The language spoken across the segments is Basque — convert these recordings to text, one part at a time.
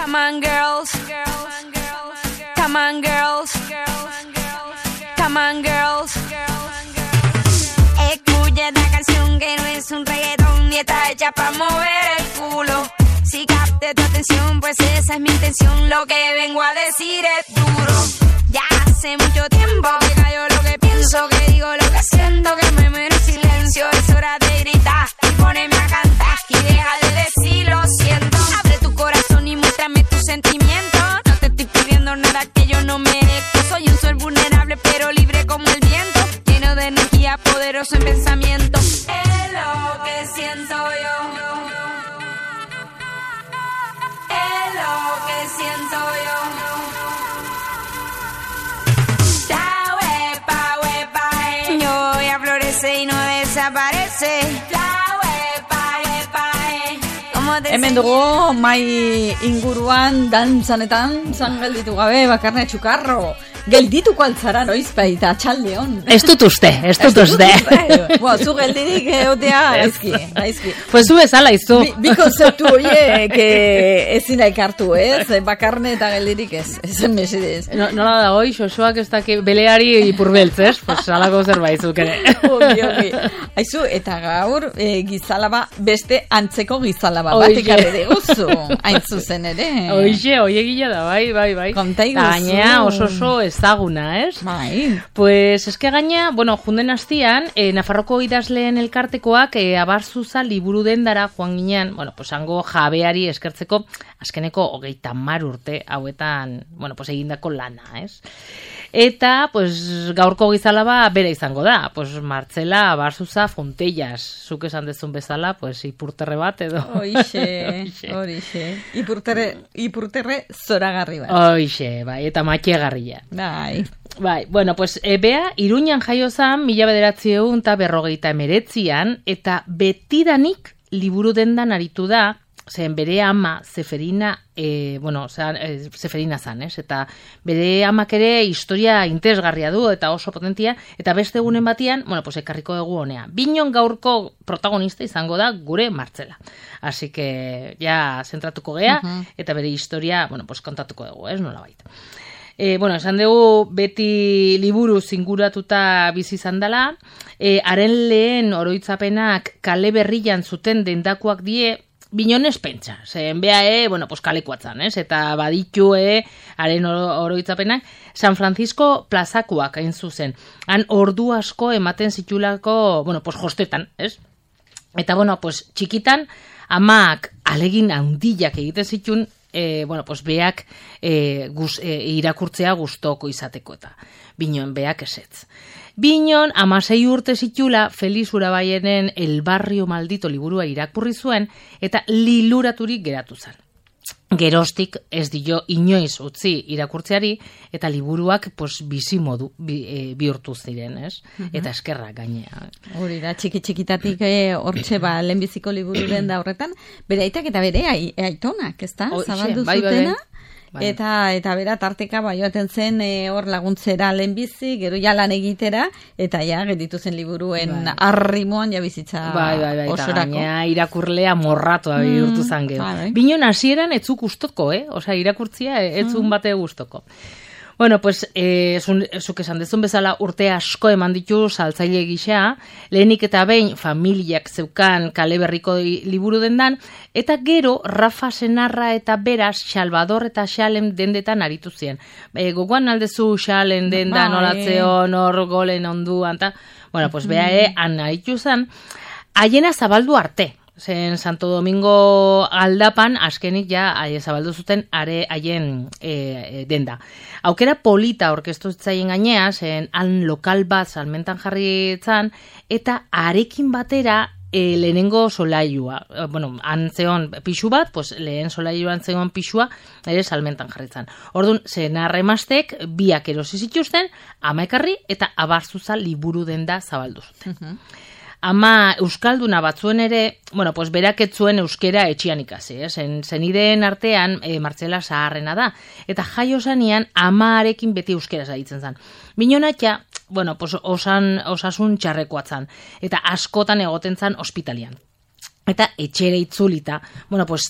Come on girls, come on girls, come on girls. Escucha esta canción que no es un reggaetón ni está hecha para mover el culo. Si capte tu atención, pues esa es mi intención. Lo que vengo a decir es duro. Ya hace mucho tiempo que callo lo que pienso, que digo lo que siento, que me muero en silencio. Es hora de gritar y ponerme a cantar y deja de decir lo siento. Abre tu corazón y muéstrame tus sentimientos. No te estoy pidiendo nada que yo no merezco. Soy un ser vulnerable pero libre como el viento, lleno de energía, poderoso en pensamiento. Es lo que siento yo. Es lo que siento yo. Yo voy a florecer y no desaparece. Hemen dugu mai inguruan dantzanetan zan gelditu gabe bakarne txukarro. Geldituko altzara noiz baita txaldeon. Ez dut uste. Bueno, zu geldirik egotea gaizki. Pues zu bezala izu. Bi konzeptu horiek ezin ekartu, ez? Bakarne eta geldirik ez. Ezen mesedez. Nola da hoi, xoxoak ez daki beleari ipurbeltz, ez? Pues alako zerbait zuk ere. Ogi. Aizu, eta gaur gizalaba, beste antzeko gizalaba bat ekarri deguzu. Hain zuzen ere. Oixe, egila da, bai. Konta iguzu. Gaina oso ezaguna, ez? Bai. Pues eske gaina, junden hastian, Nafarroko idazleen elkartekoak Abarzuza liburu dendara joan ginean, pues hango jabeari eskertzeko azkeneko 30 urte hauetan, egindako lana, ez? Eta, gaurko gizalaba bere izango da, Martzela Abarzuza Fontellas, zuk esan dezun bezala, ipurterre bat edo. Horixe. Ipurterre zoragarri bat. Horixe, bai, eta matxegarria. Bai, Bea, Iruñan jaio zan, 1959 eta betidanik liburu dendan aritu da, zen bere ama Zeferina, Zeferina zan, ez? Eta bere amak ere historia interesgarria du eta oso potentia, eta beste egunen batian, ekarriko dugu honea. Binon gaurko protagonista izango da gure Martzela. Así que, ja, zentratuko gea, eta bere historia, kontatuko dugu, ez? Nola baita. Esan dugu beti liburu zinguratuta bizi izan dela, haren lehen oroitzapenak kale berrian zuten dendakoak die, Binonez pentsa, zen bea, kalekuatzan, ez? Eta baditu, haren oroitzapenak, San Francisco plazakoak hain zuzen. Han ordu asko ematen zitulako, jostetan, ez? Eta, txikitan, amak alegin handiak egiten zitun, beak irakurtzea gustoko izateko eta Binon beak esetz. Binon 16 urte zitula Felix Urabaienen El Barrio Maldito liburua irakurri zuen eta liluraturik geratu zen. Geroztik ez dio inoiz utzi irakurtzeari eta liburuak bizi modu bihurtu ziren, ez? Eta eskerrak gainea. Hori da, txikitatik hortxe lehenbiziko libururen da horretan, bere aitak eta bere aitonak, ez da? Zabaldu zutena? Eta bera tarteka joaten zen hor laguntzera lehenbizi, gero ja lan egitera, eta ja gelditu zen liburuen arrimoan ja bizitza osorako. Gaina irakurlea morratua bihurtu zen gero. Binon hasieran etzuk gustoko, osea irakurtzia etzun bate gustoko. Zuk esan dezun bezala urte asko eman ditu saltzaile gisa, lehenik eta behin familiak zeukan kale berriko liburu dendan, eta gero Rafa Senarra eta beraz Salvador eta Xalem dendetan aritu ziren. Gogoan aldezu Xalem dendan, nolatzeon, hor golen onduan, eta, bea han aritu zen, haiena zabaldu arte. Zen Santo Domingo aldapan, azkenik ja zabaldu zuten haien denda. Aukera polita orkestu zitzaien gainea, zen han lokal bat salmentan jarri zan, eta arekin batera lehenengo solailua. Han zeon pixu bat, lehen solailuan zeon pixua, ere salmentan jarri zan. Orduan, senarremastek biak erosi zituzten, ama ekarri eta Abarzuza liburu denda zabaldu zuten. Ama euskalduna batzuen ere, berak ez zuen euskera etxian ikasi, zenideen artean Martzela zaharrena da, eta jaio zanean amaarekin beti euskera zaitzen zen. Binonatxa, osasun txarrekoa zan, eta askotan egoten zan ospitalian. eta etxere itzulita,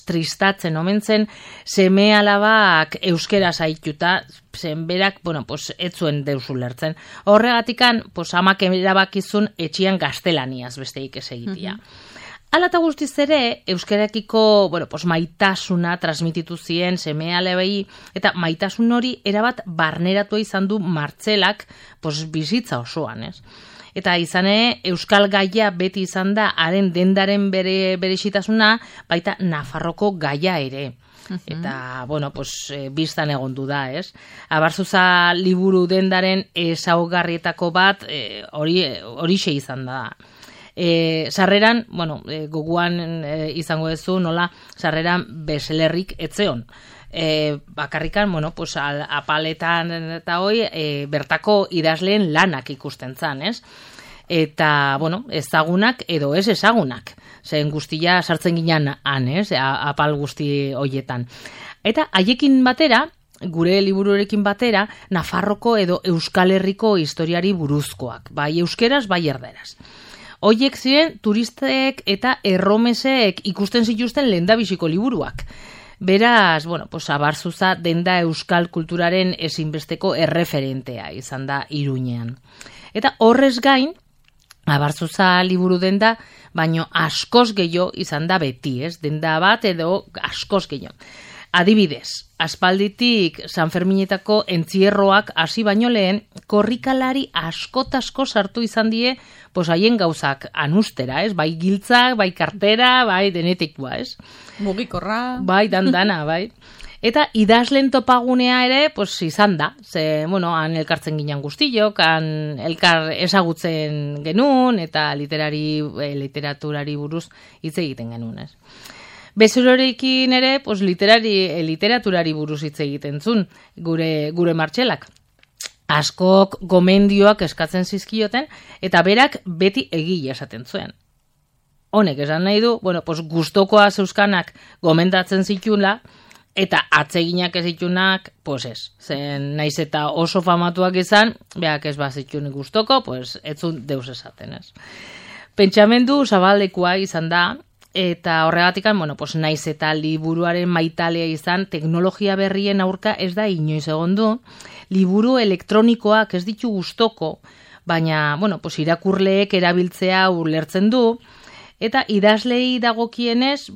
tristatzen omen zen, seme alabak euskera zaituta, zen berak, ez zuen deus ulertzen. Horregatikan, amak erabakizun etxian gaztelaniaz besteik ez egitea. Hala eta guztiz ere, euskarakiko maitasuna transmititu zien seme alabei, eta maitasun hori erabat barneratu izan du Martzelak bizitza osoan, ez? Eta izane, euskal gaia beti izan da, haren dendaren berezitasuna, baita Nafarroko gaia ere. Eta, biztan egondu da, ez? Abarzuza liburu dendaren ezaugarrietako bat, horixe izan da. Sarreran, goguan izango duzu, nola, sarreran beselerrik etzeon. Bakarrikan, apaletan eta hoi, bertako idazleen lanak ikusten zan, ez? Eta, ezagunak edo ez ezagunak. Zen guztia sartzen ginen han, ez? Apal guzti hoietan. Eta haiekin batera, gure libururekin batera, Nafarroko edo Euskal Herriko historiari buruzkoak. Bai euskeraz, bai erderaz. Hoiek ziren turistek eta erromesek ikusten zituzten lehendabiziko liburuak. Beraz, Abarzuza denda euskal kulturaren ezinbesteko erreferentea izan da Iruñean. Eta horrez gain, Abarzuza liburu denda, baino askoz gehiago izan da beti, ez? Denda bat edo askoz gehiago. Adibidez, aspalditik San Ferminetako entzierroak hasi baino lehen, korrikalari askotasko sartu izan die, haien gauzak anustera, ez? Bai giltzak, bai kartera, bai denetikua, ez? Mugikorra. Bai, dandana, bai. Eta idazlen topagunea ere, izan da. Ze, han elkartzen ginen guztiok, han elkar ezagutzen genuen, eta literaturari buruz hitz egiten genuen, ez? Bezerorekin ere, literaturari buruz hitz egiten zuen, gure Martzelak. Askok gomendioak eskatzen zizkioten, eta berak beti egile esaten zuen. Honek esan nahi du, gustokoa zeuskanak gomendatzen zitula, eta atseginak ez zitunak, ez. Zen naiz eta oso famatuak izan, beak ez bazitun gustoko, ez zuen deus esaten, ez. Pentsamendu zabaldekoa izan da, eta horregatikan, naiz eta liburuaren maitalea izan, teknologia berrien aurka ez da inoiz egon du, liburu elektronikoak ez ditu gustoko, baina, irakurleek erabiltzea ulertzen du, eta idazlei dagokienez,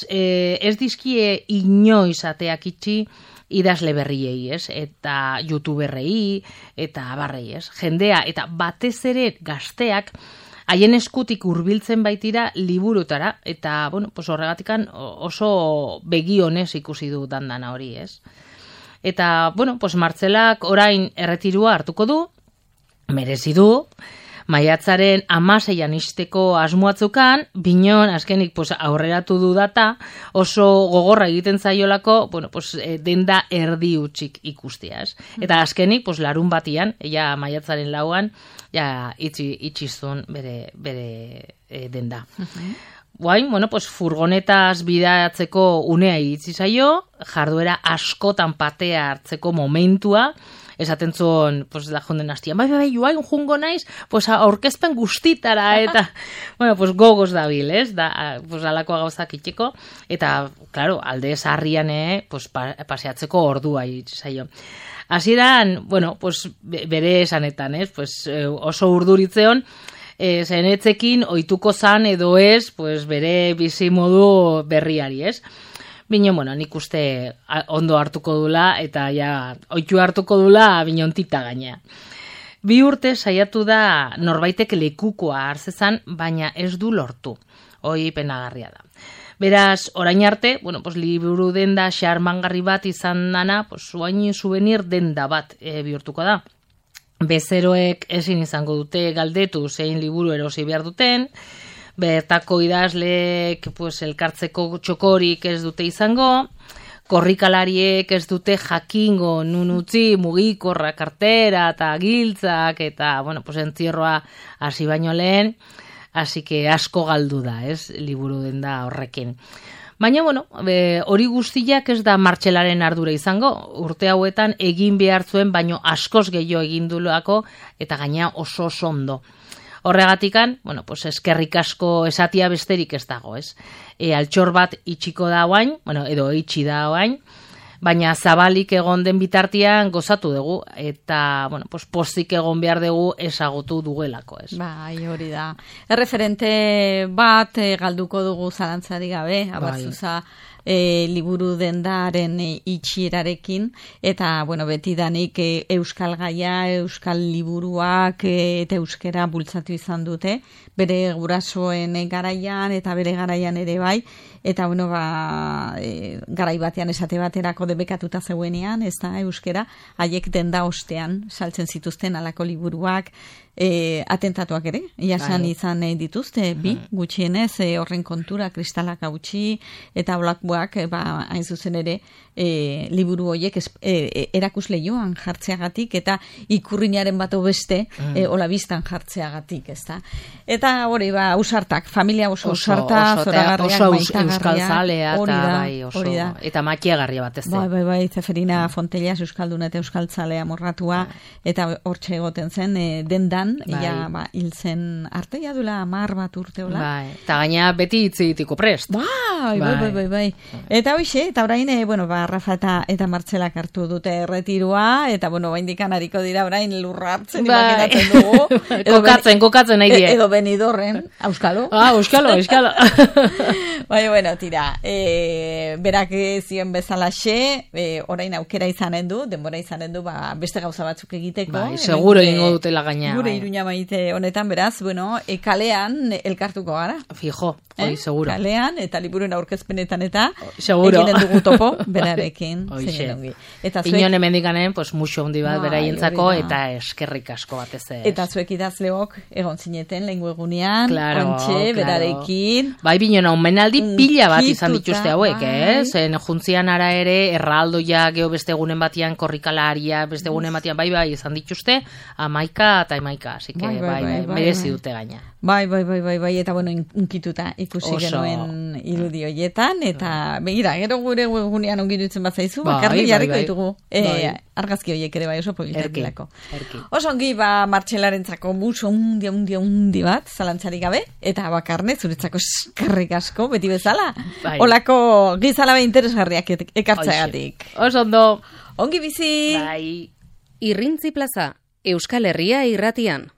ez dizkie inoiz ateak itxi idazle berriei, ez? Eta youtuberrei, eta barrei, ez? Jendea, eta batez ere gazteak, haien eskutik hurbiltzen baitira liburutara, eta, horregatikan oso begionez ikusi du dandana hori, ez? Eta, Martzelak orain erretirua hartuko du, merezi du, maiatzaren 16an isteko asmoatzukan, binon, azkenik aurreratu du data, oso gogorra egiten zaiolako, denda erdi utxik ikustea, ez? Eta azkenik, larun batian, maiatzaren 4an, itxizun bere denda. Guain, furgonetaz bidatzeko unea iritsi zaio, jarduera askotan patea hartzeko momentua, esaten zuen, da jonden hastian, bai, joain jungo naiz, aurkezpen guztitara, eta, gogoz dabil, ez? Alakoa gauzak itxeko, eta, klaro, alde zarrian, paseatzeko ordua iritsi zaio. Hasieran, bere esanetan, ez? Oso urduritzeon, zenetzekin ohituko zan edo ez, bere bizimodu berriari, ez? Bino, nik uste ondo hartuko dula, eta ohitu hartuko dula binontita gainea. 2 urte saiatu da norbaitek lekukoa hartzezan, baina ez du lortu. Hoi penagarria da. Beraz, orain arte, liburu denda xarmangarri bat izan dana, oain souvenir denda bat bihurtuko da. Bezeroek ezin izango dute galdetu zein liburu erosi behar duten, bertako idazleek elkartzeko txokorik ez dute izango, korrikalariek ez dute jakingo nun utzi mugikorra, kartera eta giltzak, eta, entzierroa hasi baino lehen, hasi que asko galdu da, ez, liburu denda horrekin. Baina, hori guztiak ez da Martzelaren ardura izango, urte hauetan egin behar zuen, baino askoz gehiago egin dulako, eta gaina oso ondo. Horregatikan, bueno, pues eskerrik asko esatia besterik ez dago, ez? Altxor bat itxiko da oain, bueno, edo itxi da oain, baina zabalik egon den bitartian gozatu dugu, eta, bueno, pues pozik egon behar dugu ezagutu dugelako, ez? Bai, hori da. Erreferente bat galduko dugu zalantzari gabe, Abartzuza liburu dendaren itxierarekin, eta, bueno, betidanik euskal gaia, euskal liburuak eta euskera bultzatu izan dute, bere gurasoen garaian eta bere garaian ere bai, eta, bueno, garai batean esate baterako debekatuta zeuenean, ez da, euskera, haiek denda ostean saltzen zituzten alako liburuak, atentatuak ere, jasan izan dituzte, bi, gutxienez, horren kontura, kristalak hautsi, eta olakbuak, hain zuzen ere, liburu horiek erakusleioan jartzeagatik, eta ikurrinaren bat beste, olabistan jartzeagatik, ez da. Eta hori, ausartak, familia oso ausarta, zoragarriak, maitagarriak, euskal zalea, eta makiagarria bat ez da. Bai, Zeferina Fontellas, euskalduna eta euskal zalea morratua, eta hortxe egoten zen, dendan, hil zen arte, jadula 10 bat urte hola. Eta gaina beti hitzitiko prest. Bai. Eta hoxe, eta orain, Rafa eta Martzelak hartu dute erretirua, eta, baindikan hariko dira orain lurra hartzen, imaginatzen dugu. Kokatzen nahi die. Edo Benidorren, auskalo. Auskalo. Tira, berak zion bezalaxe, orain aukera izanen du, denbora izanen du, beste gauza batzuk egiteko. Seguro ingo dutela gaina. Gure Iruña maite honetan, beraz, kalean elkartuko gara. Fijo, seguro. Kalean, eta liburuen aurkezpenetan eta seguro. Egiten dugu topo, berarekin. Inon emendikanen, muxo hundi bat beraientzako, eta eskerrik asko batez ez. Eta zuek idazleok egon zineten lehengu egunean, ontxe, berarekin. Bai, binona, omenaldi pila bat izan dituzte hauek, zen juntzian ara ere, erraldoia, geho beste egunen batian, korrikalaria, beste egunen batian, bai, izan dituzte, 11 eta 11, así que, merezi dute gaina. Bai, eta unkituta ikusi genuen irudi hoietan, eta begira, gero gure egunean ongi dutzen bat zaizu, bakarri jarriko ditugu argazki horiek ere bai oso politak dilako. Oso ongi, Martxelarentzako muso undi bat, zalantzarik gabe, eta bakarne, zuretzako eskerrik asko, beti bezala, olako gizalabe interesgarriak ekartzeagatik. Oso ondo. Ongi bizi! Irrintzi Plaza, Euskal Herria irratian.